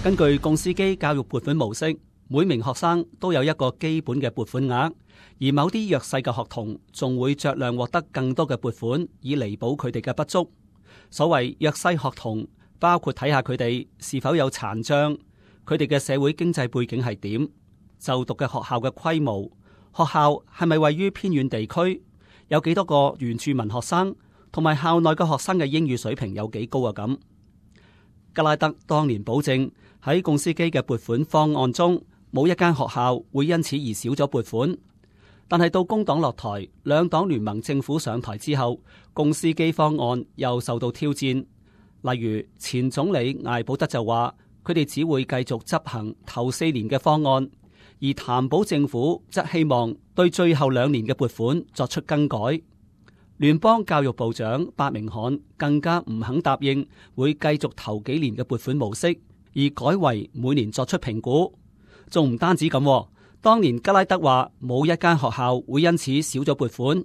根據共司機教育撥款模式，每名學生都有一個基本嘅撥款額，而某啲弱勢嘅學童仲會酌量獲得更多嘅撥款，以彌補佢哋嘅不足。所謂弱勢學童，包括睇下佢哋是否有殘障，佢哋嘅社會經濟背景係點，就讀嘅學校嘅規模，學校係咪位於偏遠地區，有幾多個原住民學生，同埋校內嘅學生嘅英語水平有幾高啊咁。吉拉德當年保證喺共司機嘅撥款方案中，冇一間學校會因此而少咗撥款。但係到工黨落台，兩黨聯盟政府上台之後，共司機方案又受到挑戰。例如前總理艾保德就話，佢哋只會繼續執行頭4年嘅方案，而譚保政府則希望對最後2年嘅撥款作出更改。聯邦教育部長伯明翰更加唔肯答應會繼續頭幾年嘅撥款模式，而改為每年作出評估。仲唔單止咁，當年吉拉德話冇一間學校會因此少咗撥款，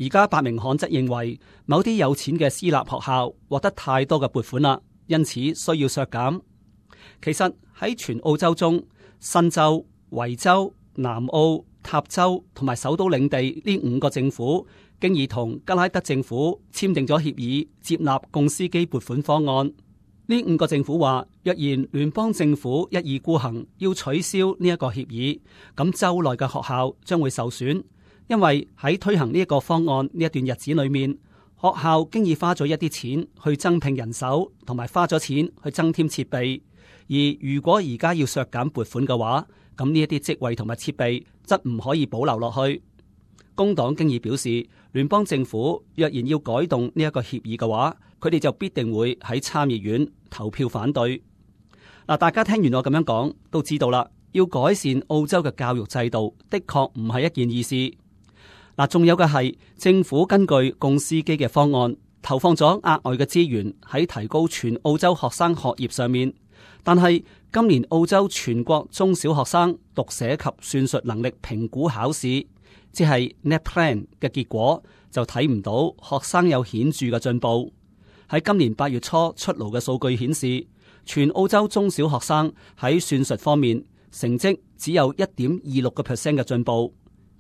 而家伯明翰則認為某啲有錢嘅私立學校獲得太多嘅撥款啦，因此需要削減。其實喺全澳洲中，新州、維州、南澳、塔州同埋首都領地呢5個政府，經已同吉拉德政府簽訂咗協議，接納共司機撥款方案。呢5個政府話，若然聯邦政府一意孤行要取消呢一個協議，咁州內嘅學校將會受損，因為喺推行呢一個方案呢一段日子裏面，學校經已花咗一啲錢去增聘人手，同埋花咗錢去增添設備。而如果而家要削減撥款嘅話，咁呢一啲職位同埋設備則唔可以保留落去。工黨經已表示，聯邦政府若然要改動呢一個協議嘅話，佢哋就必定會喺參議院投票反對。嗱，大家聽完我咁樣講，都知道啦，要改善澳洲嘅教育制度，的確唔係一件易事。嗱，仲有嘅係政府根據共司機嘅方案，投放咗額外嘅資源喺提高全澳洲學生學業上面，但係今年澳洲全國中小學生讀寫及算術能力評估考試，即係 NAPLAN 嘅結果就睇唔到學生有顯著嘅進步。喺今年8月初出爐嘅數據顯示，全澳洲中小學生喺算術方面成績只有 1.26% 嘅進步。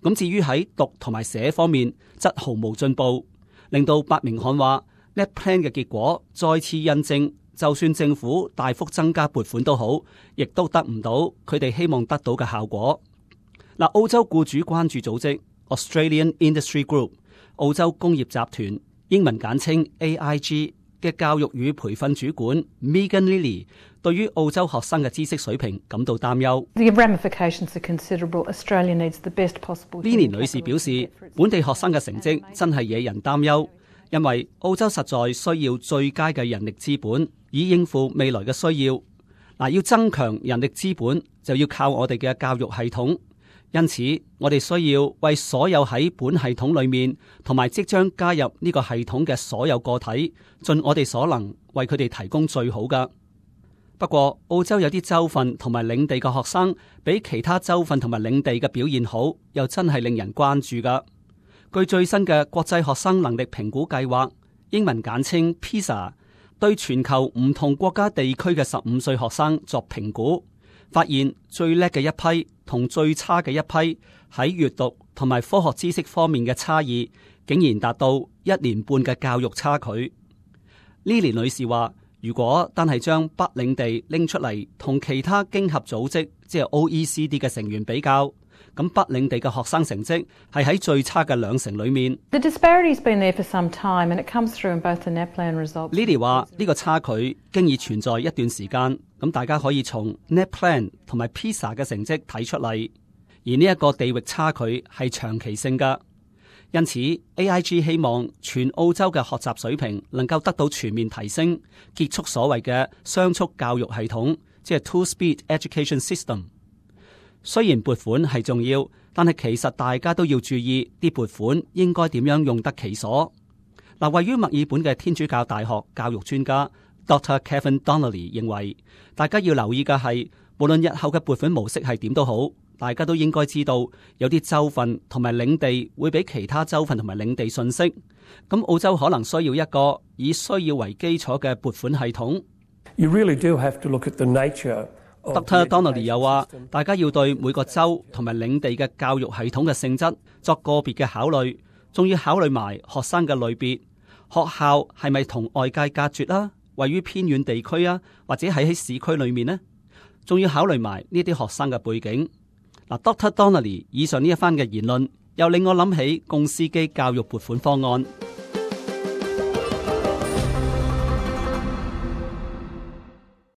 咁至於喺讀同埋寫方面則毫無進步，令到伯明翰話 NAPLAN 嘅結果再次印證，就算政府大幅增加撥款都好，亦都得唔到佢哋希望得到嘅效果。嗱，澳洲僱主關注組織 Australian Industry Group 澳洲工業集團英文簡稱 AIG 嘅教育與培訓主管 Megan Lilly 對於澳洲學生嘅知識水平感到擔憂。Lilly 女士表示，本地學生嘅成績真係惹人擔憂，因為澳洲實在需要最佳嘅人力資本，以應付未來嘅需要。嗱，要增強人力資本，就要靠我哋嘅教育系統。因此，我哋需要為所有喺本系統裏面同埋即將加入呢個系統嘅所有個體，盡我哋所能為佢哋提供最好㗎。不過，澳洲有啲州份同埋領地嘅學生比其他州份同埋領地嘅表現好，又真係令人關注㗎。據最新嘅國際學生能力評估計劃，英文簡稱 PISA， 對全球唔同國家地區嘅15歲學生作評估，發現最叻嘅一批同最差嘅一批喺閱讀同埋科學知識方面嘅差異，竟然達到1年半嘅教育差距。Lily 女士話，如果單係將北領地拎出嚟同其他經合組織，即係 OECD 嘅成員比較，咁北領地嘅學生成績係喺最差嘅2成裏面。Lily 話呢個差距經已存在一段時間，咁大家可以從 NAPLAN 同埋 PISA 嘅成績睇出嚟，而呢一個地域差距係長期性㗎。因此 AIG 希望全澳洲嘅學習水平能夠得到全面提升，結束所謂嘅雙速教育系統，即係 Two-Speed Education System。雖然撥款係重要，但係其實大家都要注意啲撥款應該點樣用得其所。嗱，位於墨爾本嘅天主教大學教育專家 Dr. Kevin Donnelly 認為，大家要留意嘅係，無論日後嘅撥款模式係點都好，大家都應該知道有啲州份同埋領地會比其他州份同埋領地遜色。咁澳洲可能需要一個以需要為基礎嘅撥款系統。You really do have to look at the nature Dr. Donnelly 又話，大家要對每個州同埋領地嘅教育系統嘅性質作個別嘅考慮，仲要考慮埋學生嘅類別，學校係咪同外界隔絕啦，位於偏遠地區啊，或者喺市區裏面呢？仲要考慮埋呢啲學生嘅背景。嗱，Dr. Donnelly 以上呢一番嘅言論，又令我諗起公司機教育撥款方案。